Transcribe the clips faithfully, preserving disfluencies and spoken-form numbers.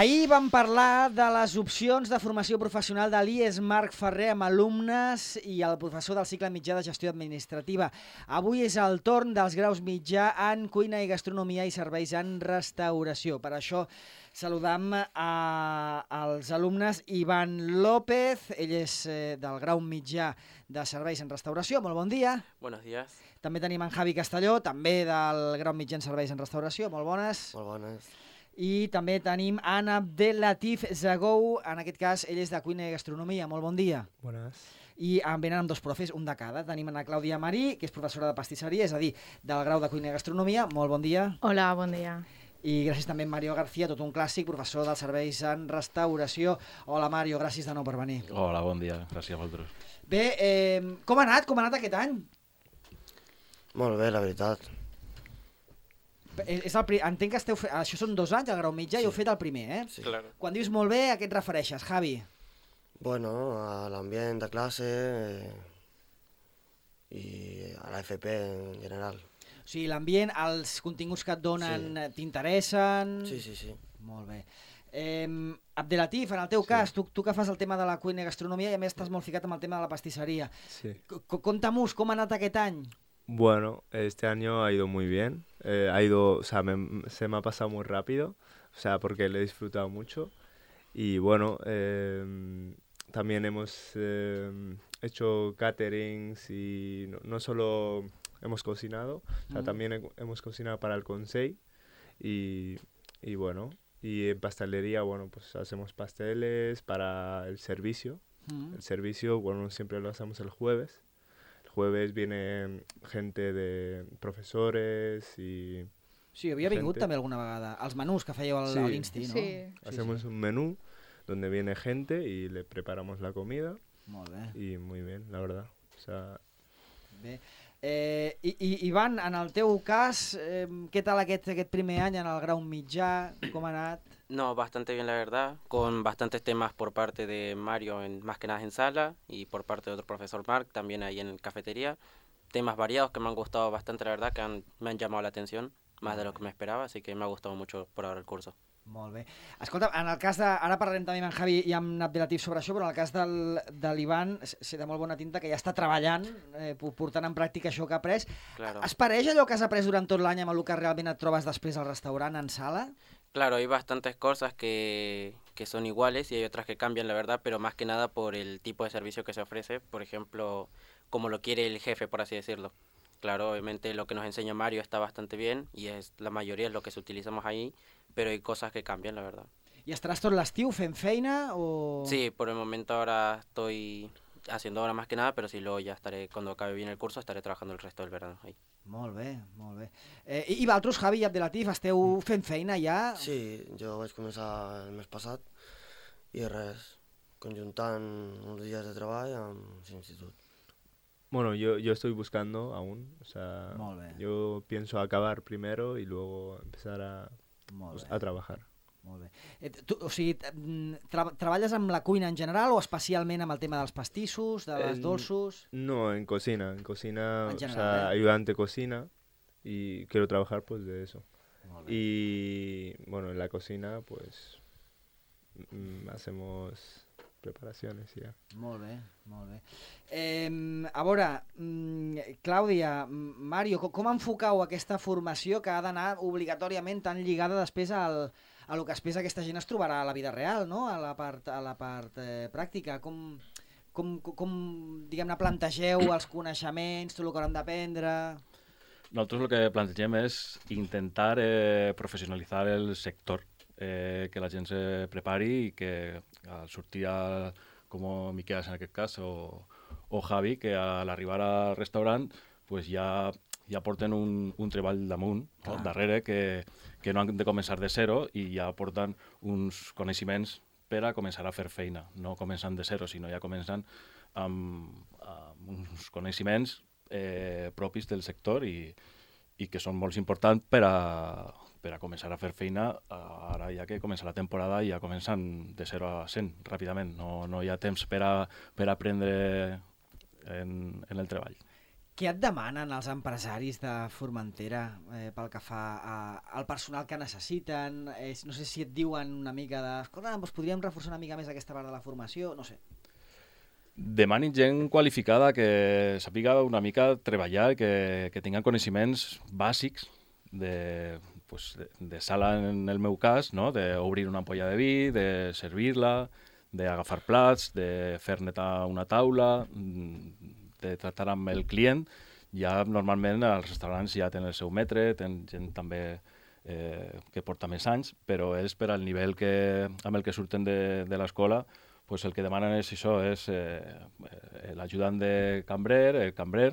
Ahir vam parlar de les opcions de formació professional de l'I E S Marc Ferrer amb alumnes i el professor del cicle mitjà de gestió administrativa. Avui és el torn dels graus mitjà en cuina i gastronomia i serveis en restauració. Per això saludam a, als alumnes Ivan López, ell és eh, del grau mitjà de serveis en restauració. Molt bon dia. Buenos días. També tenim en Javi Castelló, també del grau mitjà en serveis en restauració. Molt bones. Molt bones. I també tenim en Abdelatif Zagou, en aquest cas ell és de cuina i gastronomia. Molt bon dia. Bones. I en venen amb dos profes, un de cada. Tenim en la Clàudia Marí, que és professora de pastisseria, és a dir, del grau de cuina i gastronomia. Molt bon dia. Hola, bon dia. I gràcies també a Mario García, tot un clàssic, professor dels serveis en restauració. Hola Mario, gràcies de nou per venir. Hola, bon dia, gràcies a vosaltres. Bé, eh, com ha anat? Com ha anat aquest any? Molt bé, la veritat. És el pri... Entenc que esteu fe... Això són dos anys, el grau mitjà, sí. I heu fet el primer, eh? Sí. Claro. Quan dius molt bé, a què et refereixes, Javi? Bueno, a l'ambient de classe eh, i a la F P en general. O sigui, l'ambient, els continguts que et donen Sí. t'interessen... Sí, sí, sí. Molt bé. Eh, Abdelatif, en el teu Sí. cas, tu, tu que fas el tema de la cuina i gastronomia i a més estàs molt ficat amb el tema de la pastisseria. Sí. C- Conta-mos com ha anat aquest any. Bueno, este año ha ido muy bien. Eh, ha ido, o sea, me- se me ha pasado muy rápido, o sea, porque lo he disfrutado mucho. Y bueno, eh, también hemos eh, hecho caterings y no, no solo hemos cocinado, o sea, Mm. también he- hemos cocinado para el Consell y, y bueno, y en pastelería, bueno, pues hacemos pasteles para el servicio. Mm. El servicio, bueno, siempre lo hacemos el jueves. El jueves viene gente de profesores y Sí, havia vingut Gente. també alguna vegada. Els menús que fèieu al, Sí. a l'Insti, no? Sí. hacemos un menú donde viene gente y le preparamos la comida Molt bé. y muy bien, la verdad. O sea, Bé. Eh, i, i, Ivan, en el teu cas, eh, què tal aquest, aquest primer any en el grau mitjà? Com ha anat? No, bastante bien la verdad, con bastantes temas por parte de Mario, en, más que nada en sala, y por parte de otro profesor Marc, también ahí en cafetería. Temas variados que me han gustado bastante, la verdad, que han- me han llamado la atención, más de lo que me esperaba, así que me ha gustado mucho por ahora el curso. Molt bé. Escolta, en el cas de... Ara parlarem també amb en Javi i amb Abdelatif sobre això, però en el cas del, de l'Ivan, sé de molt bona tinta que ja està treballant, eh, po- portant en pràctica això que ha après. Claro. Es pareix allò que has après durant tot l'any amb el que realment et trobes després al restaurant, en sala? Claro, hay bastantes cosas que, que son iguales y hay otras que cambian, la verdad, pero más que nada por el tipo de servicio que se ofrece, por ejemplo, como lo quiere el jefe, por así decirlo. Claro, obviamente lo que nos enseña Mario está bastante bien y es la mayoría es lo que utilizamos ahí, pero hay cosas que cambian, la verdad. I estaràs tot l'estiu fent feina o...? Sí, por el momento ahora estoy haciendo ahora más que nada, pero sí, luego ya estaré, cuando acabe bien el curso, estaré trabajando el resto del verano ahí. Molt bé, molt bé. Eh, I i vosaltres, Javi i Abdelatif, esteu fent feina ja? Sí, jo vaig començar el mes passat i res, conjuntant uns dies de treball amb l'institut. bueno, yo, yo estoy buscando aún, o sea, Molt bé. yo pienso acabar primero y luego empezar a, Molt pues, bé. a trabajar. Molt bé. Eh, tu, o sigui, t- mm, tra treballes amb la cuina en general o especialment amb el tema dels pastissos, de les En- dolços? No, en cocina, en cocina, En o general, sea, ¿eh? ayudante cocina y quiero trabajar pues de eso. Molt bé. Y bueno, en la cocina pues mm, hacemos preparaciones y ya. Molt bé, molt bé. Eh, a veure, mm, Clàudia, mm, Mario, com, com enfocau aquesta formació que ha d'anar obligatòriament tan lligada després al, a lo que després aquesta gent es trobarà a la vida real, no? A la part, a la part eh, pràctica? Com, com, com, com diguem-ne, plantegeu els coneixements, tot el que hauran d'aprendre? Nosotros lo que planteem és intentar eh, professionalitzar el sector, eh, que la gent se prepari i que al sortir, a, com Miquel en aquest cas, o, o Javi, que al arribar al restaurant pues ja, ja porten un, un treball damunt, no? Clar. darrere, que, que no han de començar de zero i ja porten uns coneixements per a començar a fer feina. No començant de zero, sinó ja començant amb, amb uns coneixements eh, propis del sector i, i que són molt importants per a, per a començar a fer feina ara ja que comença la temporada i ja comencen de zero a cent ràpidament. No, no hi ha temps per a, per a aprendre en, en el treball. Què et demanen els empresaris de Formentera eh, pel que fa a, al personal que necessiten? Eh, no sé si et diuen una mica de... Escolta, doncs podríem reforçar una mica més aquesta part de la formació, no sé. Demanin gent qualificada que sàpiga una mica treballar, que, que tinguin coneixements bàsics de, pues, de, de sala, en el meu cas, no? D'obrir una ampolla de vi, de servir-la, d'agafar plats, de fer netar una taula, de tractar amb el client. Ja normalment els restaurants ja tenen el seu metre, tenen gent també eh, que porta més anys, però és per al nivell que, amb el que surten de, de l'escola, pues el que demanen és això, és eh, l'ajudant de cambrer, el cambrer,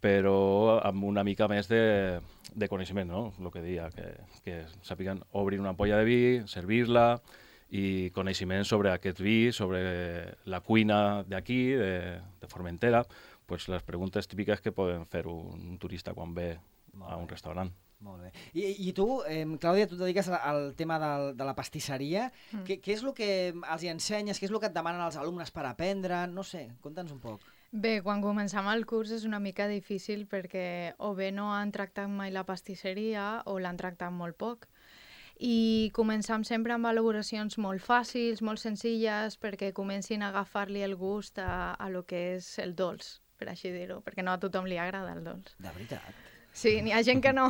però amb una mica més de, de coneixement, no? El que deia, que, que sàpiguen obrir una ampolla de vi, servir-la, i coneixement sobre aquest vi, sobre la cuina d'aquí, de, de Formentera, pues les preguntes típiques que poden fer un, un turista quan ve a un restaurant. Molt bé. I, i tu, eh, Clàudia, tu et dediques al tema del, de la pastisseria. Mm. Què, què és el que els hi ensenyes? Què és el que et demanen els alumnes per aprendre? No sé, conta'ns un poc. Bé, quan començam el curs és una mica difícil perquè o bé no han tractat mai la pastisseria o l'han tractat molt poc. I començam sempre amb elaboracions molt fàcils, molt senzilles, perquè comencin a agafar-li el gust a, a lo que és el dolç, per així dir-ho, perquè no a tothom li agrada el dolç. De veritat? Sí, n'hi ha gent que no.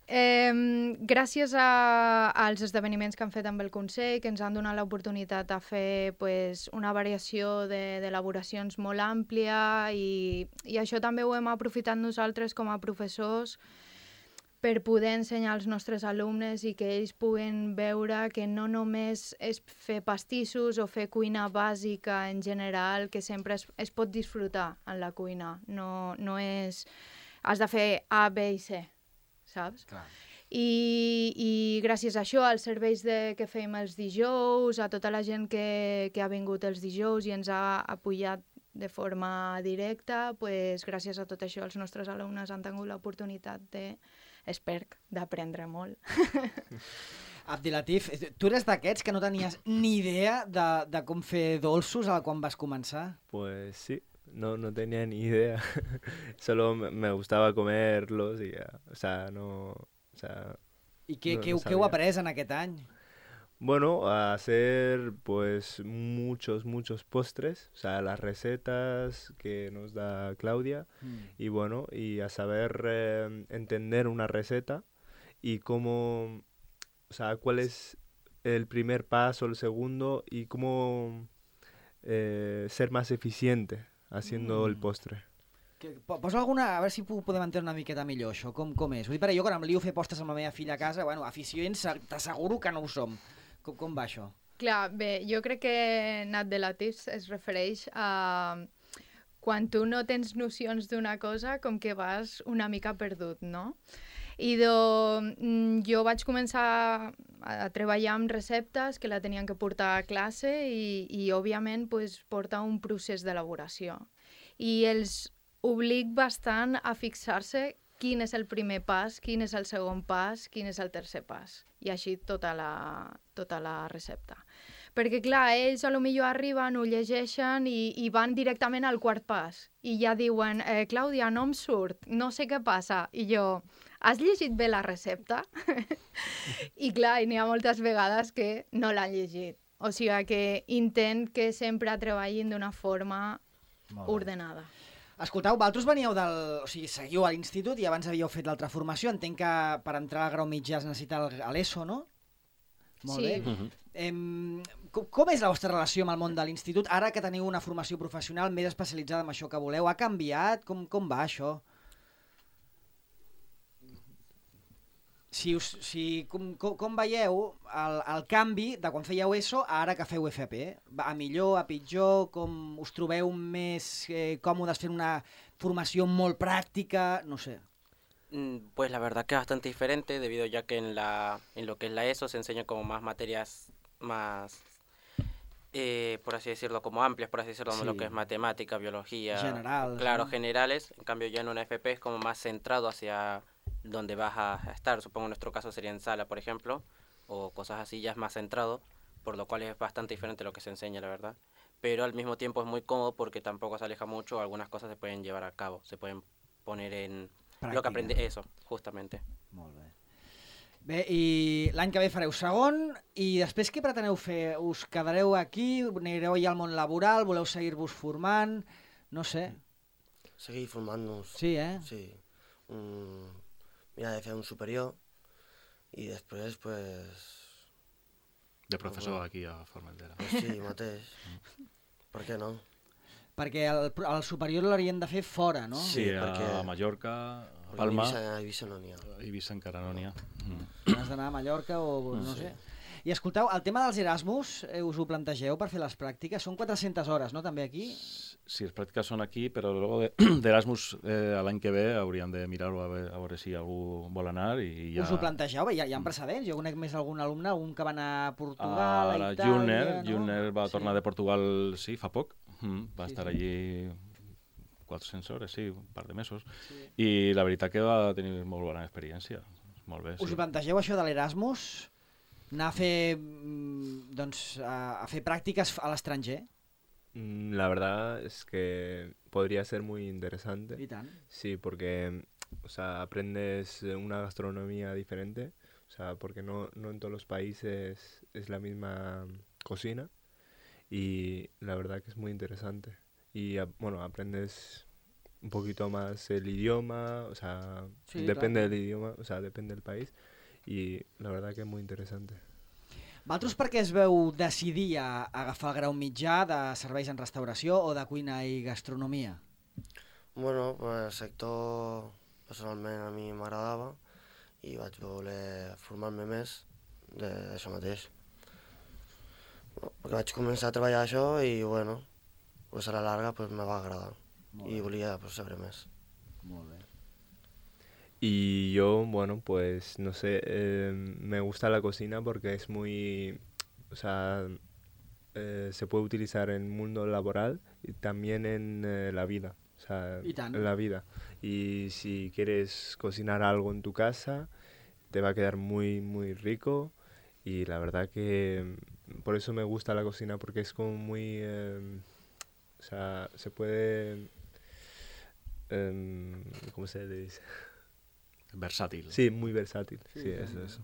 eh, gràcies a, als esdeveniments que han fet amb el Consell, que ens han donat l'oportunitat de fer pues, una variació d'elaboracions de, molt àmplia i, i això també ho hem aprofitat nosaltres com a professors per poder ensenyar als nostres alumnes i que ells puguen veure que no només és fer pastissos o fer cuina bàsica en general, que sempre es, es pot disfrutar en la cuina. No, no és... Has de fer A, B i C, saps? Clar. I, i gràcies a això, als serveis de, que fèiem els dijous, a tota la gent que, que ha vingut els dijous i ens ha apoyat de forma directa, pues, gràcies a tot això els nostres alumnes han tingut l'oportunitat de, espero, d'aprendre molt. Abdilatif, tu eres d'aquests que no tenies ni idea de, de com fer dolços quan vas començar? Pues sí. No, no tenía ni idea. Solo me gustaba comerlos y ya. O sea, no... O sea, ¿Y qué, no, qué, no qué heu après en aquest any? Bueno, a hacer pues muchos, muchos postres. O sea, las recetas que nos da Claudia. Mm. Y bueno, y a saber eh, entender una receta y cómo... O sea, cuál es el primer paso, el segundo y cómo eh, ser más eficiente haciendo mm. el postre. Que, posa alguna... A veure si podem entendre una miqueta millor això, com, com és. Vull dir, per jo, quan em lio a fer postres amb la meva filla a casa, bueno, aficions, t'asseguro que no ho som. Com, com va això? Clar, bé, jo crec que Nat de Latifs es refereix a quan tu no tens nocions d'una cosa, com que vas una mica perdut, no? I do, jo vaig començar a treballar amb receptes que la tenien que portar a classe i, i òbviament, pues, porta un procés d'elaboració. I els obliga bastant a fixar-se quin és el primer pas, quin és el segon pas, quin és el tercer pas. I així tota la, tota la recepta. Perquè, clar, ells a lo millor arriben, ho llegeixen i, i van directament al quart pas. I ja diuen, eh, Clàudia, no em surt, no sé què passa. I jo... Has llegit bé la recepta? I clar, n'hi ha moltes vegades que no l'han llegit. O sigui que intent que sempre treballin d'una forma ordenada. Escolteu, vosaltres veníeu del... O sigui, seguiu a l'institut i abans havíeu fet l'altra formació. Entenc que per entrar al grau mitjà es necessita l'E S O, no? Molt sí. bé. Uh -huh. em, com, com és la vostra relació amb el món de l'institut? Ara que teniu una formació professional més especialitzada en això que voleu, ha canviat? Com, com va això? Si, us, si com, com, com veieu el, el canvi de quan fèieu E S O a ara que feu F P? A millor, a pitjor? Com us trobeu més eh, còmodes fent una formació molt pràctica? No sé. Pues la verdad que es bastante diferente, debido ya que en, la, en lo que es la E S O se enseña como más materias más, eh, por así decirlo, como amplias, por así decirlo, sí. Lo que es matemática, biología, general, claro, ¿no? Generales. En cambio ya en una F P es como más centrado hacia donde vas a estar. Supongo en nuestro caso sería en sala, por ejemplo, o cosas así, ya es más centrado, por lo cual es bastante diferente lo que se enseña, la verdad. pero al mismo tiempo es muy cómodo porque tampoco se aleja mucho, algunas cosas se pueden llevar a cabo, se pueden poner en Pràctica. lo que aprende eso, justamente. Molt bé. Bé, i l'any que ve fareu segon, i després què preteneu fer? Us quedareu aquí, anireu ja al món laboral, voleu seguir-vos formant, no sé. Seguir formant-nos. Sí, eh? Sí. Un... Mirar de fer un superior i després, pues... De professor aquí a Formentera. Pues sí, mateix. Per què no? Perquè el, el superior l'haurien de fer fora, no? Sí, Sí, a perquè- Mallorca, a Perquè Palma, A Eivissa, a Eivissa no n'hi ha. a Eivissa encara no n'hi ha. Mm. Has d'anar a Mallorca o no Sí. sé. I escolteu, el tema dels Erasmus, eh, us ho plantegeu per fer les pràctiques? Són quatre-centes hores, no, també aquí? Sí, les pràctiques són aquí, però luego de, d'Erasmus eh, l'any que ve hauríem de mirar-ho a, veure, a veure si algú vol anar i ja... Us ho plantegeu? Bé, hi ha, hi ha precedents. Jo conec més algun alumne, un que va anar a Portugal, Ah, a la Itàlia... Juner, no? Juner va Sí. tornar de Portugal, sí, fa poc. Mm, va Sí, estar sí. allí quatre-centes hores, sí, un par de mesos. Sí. I la veritat que va tenir molt bona experiència. Molt bé, Us sí. ho plantegeu, això de l'Erasmus? Anar a fer, mm, doncs, a, a fer pràctiques a l'estranger? Mm, La verdad es que podría ser muy interesante. I tant. Sí, porque, o sea, aprendes eh, una gastronomía diferente, o sea, porque no, no en todos los países es la misma cocina y la verdad que es muy interesante. Y, a- bueno, aprendes un poquito más el idioma, o sea, Sí, depende claro. del idioma, o sea, depende del país y la verdad que es muy interesante. Vosaltres per què es veu decidir a, a agafar el grau mitjà de serveis en restauració o de cuina i gastronomia? Bueno, pues el sector personalment a mi m'agradava i vaig voler formar-me més de- d'això mateix. No, perquè vaig començar a treballar això i, bueno, pues a la larga pues, me va agradar i volia pues, saber més. Molt bé. Y yo, bueno, pues no sé, eh, me gusta la cocina porque es muy, o sea, eh, se puede utilizar en el mundo laboral y también en eh, la vida, o sea, Y tant. en la vida. Y si quieres cocinar algo en tu casa, te va a quedar muy, muy rico y la verdad que mm, por eso me gusta la cocina porque es como muy, eh, o sea, se puede, em, ¿cómo se le dice? Versàtil. Sí, muy versátil. Sí, Sí, sí, eso, sí. eso.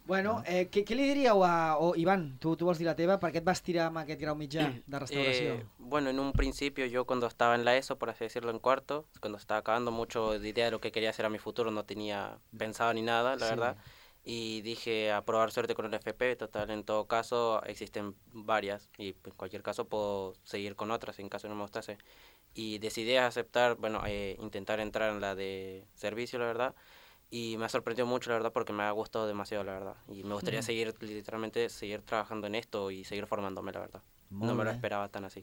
Bueno, eh, què, què li diríeu a... O, Ivan, tu, tu vols dir la teva, per què et vas tirar amb aquest grau mitjà de restauració? Eh, bueno, en un principio yo cuando estaba en la ESO, por así decirlo, en cuarto, cuando estaba acabando mucho de idea de lo que quería hacer a mi futuro, no tenía pensado ni nada, la Sí. verdad. Y dije a probar suerte con el F P, total, en todo caso existen varias y en cualquier caso puedo seguir con otras en caso no me gustase. Y decidí aceptar, bueno, eh, intentar entrar en la de servicio, la verdad. Y me ha sorprendido mucho, la verdad, porque me ha gustado demasiado, la verdad. Y me gustaría Ujú. seguir, literalmente, seguir trabajando en esto y seguir formándome, la verdad. Molt no me lo bé. esperaba tan así.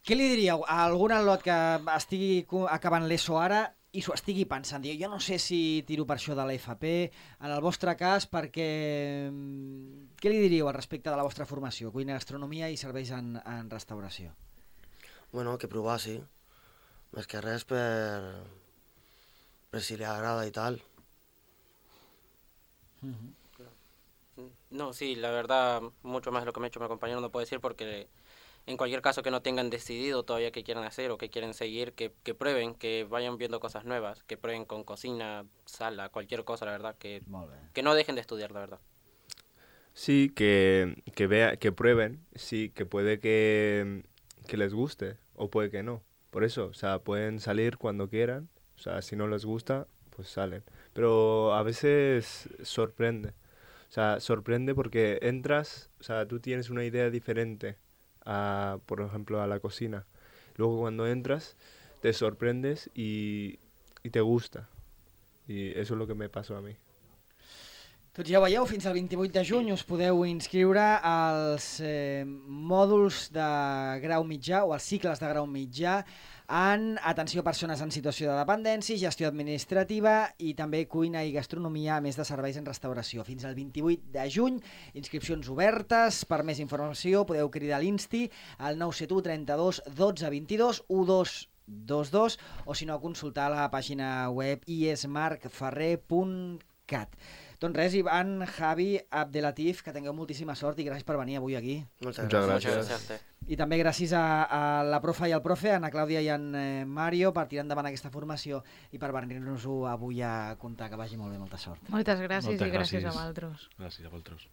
Què li diríeu a algun alumne que estigui co- acabant l'ESO ara i s'ho estigui pensant? Diu, jo no sé si tiro per això de l'F P, en el vostre cas, perquè... mm, Què li diríeu al respecte de la vostra formació? Cuina, gastronomia i serveis en, en restauració. Bueno, que provar, sí. Més que res per, per si li agrada i tal. No, sí, la verdad, mucho más de lo que me ha hecho mi compañero no puedo decir porque en cualquier caso que no tengan decidido todavía qué quieren hacer o qué quieren seguir, que, que prueben, que vayan viendo cosas nuevas, que prueben con cocina, sala, cualquier cosa, la verdad, que, Molt bé. que no dejen de estudiar, la verdad. Sí, que, que, vea, que prueben, sí, que puede que, que les guste o puede que no. Por eso, o sea, pueden salir cuando quieran, o sea, si no les gusta, pues salen. Pero a veces sorprende, o sea, sorprende porque entras, o sea, tú tienes una idea diferente a, por ejemplo, a la cocina. Luego cuando entras, te sorprendes y, y te gusta. Y eso es lo que me pasó a mí. Tots ja ho veieu, fins al vint-i-vuit de juny us podeu inscriure als eh, mòduls de grau mitjà o als cicles de grau mitjà en atenció a persones en situació de dependència, gestió administrativa i també cuina i gastronomia, a més de serveis en restauració. Fins al vint-i-vuit de juny, inscripcions obertes. Per més informació podeu cridar a l'Insti al nou set u trenta-dos dotze vint-i-dos dotze vint-i-dos o si no consultar la pàgina web i esmarcferrer punt cat. Doncs res, Ivan, Javi, Abdelatif, que tingueu moltíssima sort i gràcies per venir avui aquí. Moltes Muchas gràcies. gracias. Muchas gracias a usted. I també gràcies a, a la profa i al profe, a Ana Clàudia i a en eh, Mario, per tirar endavant aquesta formació i per venir-nos-ho avui a contar. Que vagi molt bé, molta sort. Moltes gràcies Moltes i gràcies gràcies. a vosaltres. Gràcies a vosaltres.